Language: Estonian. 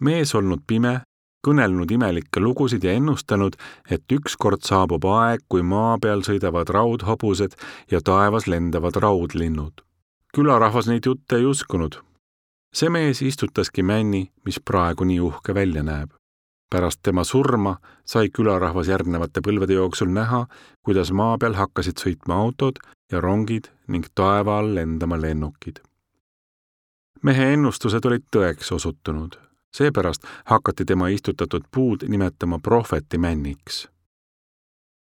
Mees olnud pime, kõnelnud imelikke lugusid ja ennustanud, et ükskord saabub aeg, kui maa peal sõidavad raudhobused ja taevas lendavad raudlinnud. Külarahvas neid jutte ei uskunud. See mees istutaski männi, mis praegu nii uhke välja näeb. Pärast tema surma sai külarahvas järgnevate põlvede jooksul näha, kuidas maa peal hakkasid sõitma autod ja rongid ning taeva all lendama lennukid. Mehe ennustused olid tõeks osutunud. Seepärast hakati tema istutatud puud nimetama prohveti männiks.